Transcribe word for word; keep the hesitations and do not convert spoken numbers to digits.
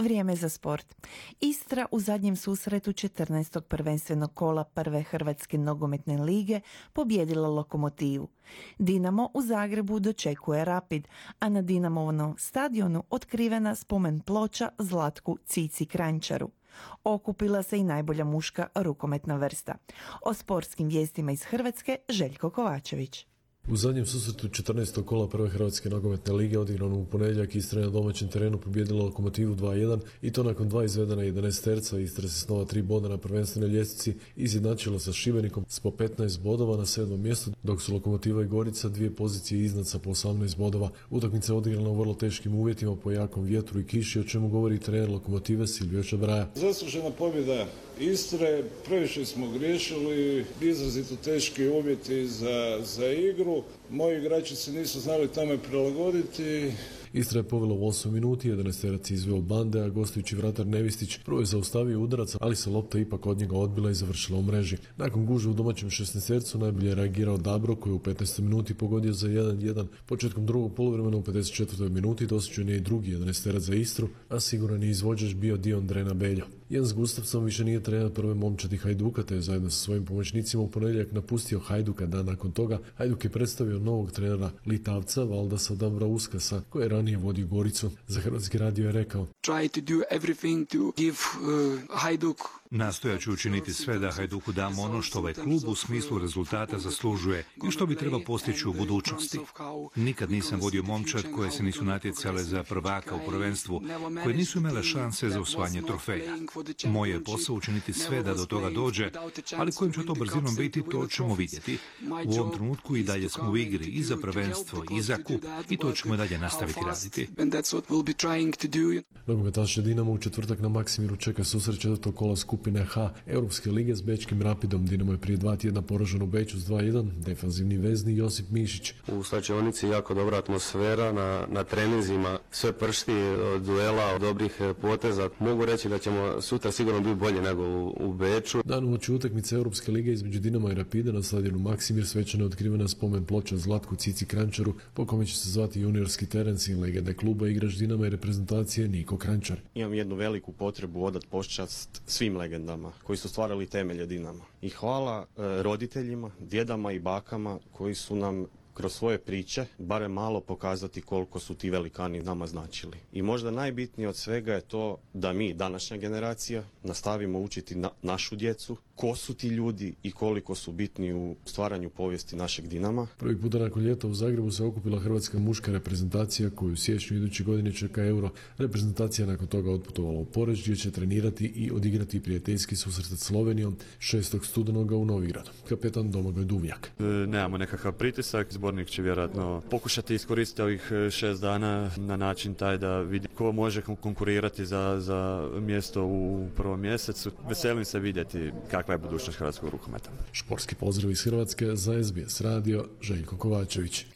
vrijeme za sport. Istra u zadnjem susretu četrnaestog prvenstvenog kola prve Hrvatske nogometne lige pobijedila Lokomotivu. Dinamo u Zagrebu dočekuje Rapid, a na Dinamovom stadionu otkrivena spomen ploča Zlatku Cici Kranjčaru. Okupila se i najbolja muška rukometna vrsta. O sportskim vijestima iz Hrvatske Željko Kovačević. U zadnjem susretu četrnaestog kola prve Hrvatske nogometne lige odigrano u ponedjeljak Istra je na domaćem terenu pobijedila Lokomotivu dva jedan i to nakon dva izvedena jedanaesterca. Istra se s nova tri boda na prvenstvenoj ljestvici izjednačila sa Šibenikom s po petnaest bodova na sedmom mjestu, dok su Lokomotiva i Gorica dvije pozicije iznad sa po osamnaest bodova. Utakmica je odigrana u vrlo teškim uvjetima po jakom vjetru i kiši, o čemu govori trener Lokomotive Silvio Čabraja. Zaslužena pobjeda Istre, previše smo griješili, izrazito teški uvjeti za, za igru. Moji igrači se nisu znali tome prilagoditi. Istra je povela u osam minuti, jedanaesterac je izveo bande, a gostujući vratar Nevistić prvo je zaustavio udarac, ali se lopta ipak od njega odbila i završila u mreži. Nakon gužve u domaćem šesnaestercu najbolje je reagirao Dabro, koji je u petnaestoj minuti pogodio za jedan jedan. Početkom drugog poluvremena u pedeset četvrtoj minuti dosuđen je i drugi jedanaesterac za Istru, a siguran je izvođač bio Dion Drena Beljo. Jens Gustafsson više nije trener prve momčadi Hajduka, te je zajedno sa svojim pomoćnicima u ponedjeljak napustio Hajduka. Dan nakon toga Hajduk je predstavio novog trenera Litavca Valdasa Dambrauskasa, koji je ranije vodio Goricu. Za Hrvatski radio je rekao: Try to do everything to give uh, Hajduk. Nastojat ću učiniti sve da Hajduku damo ono što ovaj klub u smislu rezultata zaslužuje i što bi trebao postići u budućnosti. Nikad nisam vodio momčad koje se nisu natjecale za prvaka u prvenstvu, koje nisu imale šanse za osvajanje trofeja. Moje je posao učiniti sve da do toga dođe, ali kojim će to brzinom biti, to ćemo vidjeti. U ovom trenutku i dalje smo u igri i za prvenstvo i za kup i to ćemo i dalje nastaviti raditi. Nogometaše Dinamo u četvrtak na Maksimiru čeka susret četvrtog kola skupine H Europske lige s bečkim Rapidom. Dinamo je prije dva tjedna poražen u Beču s dva jedan, defanzivni vezni Josip Mišić. U slačionici jako dobra atmosfera, na, na treninzima sve pršti od duela, od dobrih poteza. Mogu reći da ćemo sutra sigurno biti bolje nego u, u Beču. Dan uoči utakmice Europske lige između Dinama i Rapida na stadionu Maksimir svečano je otkrivena spomen ploča Zlatku Cici Kranjčaru, po kome će se zvati juniorski teren sin legende kluba, igrač Dinama i reprezentacije Niko Kranjčar. Imam jednu veliku potrebu odat počast svim legendama koji su stvarali temelje Dinama. I hvala e, roditeljima, djedama i bakama koji su nam kroz svoje priče barem malo pokazati koliko su ti velikani nama značili. I možda najbitnije od svega je to da mi, današnja generacija, nastavimo učiti na, našu djecu ko su ti ljudi i koliko su bitni u stvaranju povijesti našeg Dinama. Prvi puta nakon ljeta u Zagrebu se okupila hrvatska muška reprezentacija koju u siječnju iduće godine čeka Euro. Reprezentacija nakon toga otputovala u Poreč gdje će trenirati i odigrati prijateljski susret s Slovenijom šestog studenoga u Novigradu. Kapetan Domagoj Duvnjak. E, nemamo nekakav pritisak, zbornik će vjerojatno pokušati iskoristiti ovih šest dana na način taj da vidi ko može konkurirati za, za mjesto u prvom mjesecu. Veselim se vidjeti kakva je budućnost hrvatskog rukometa. Športski pozdrav iz Hrvatske za S B S radio, Željko Kovačević.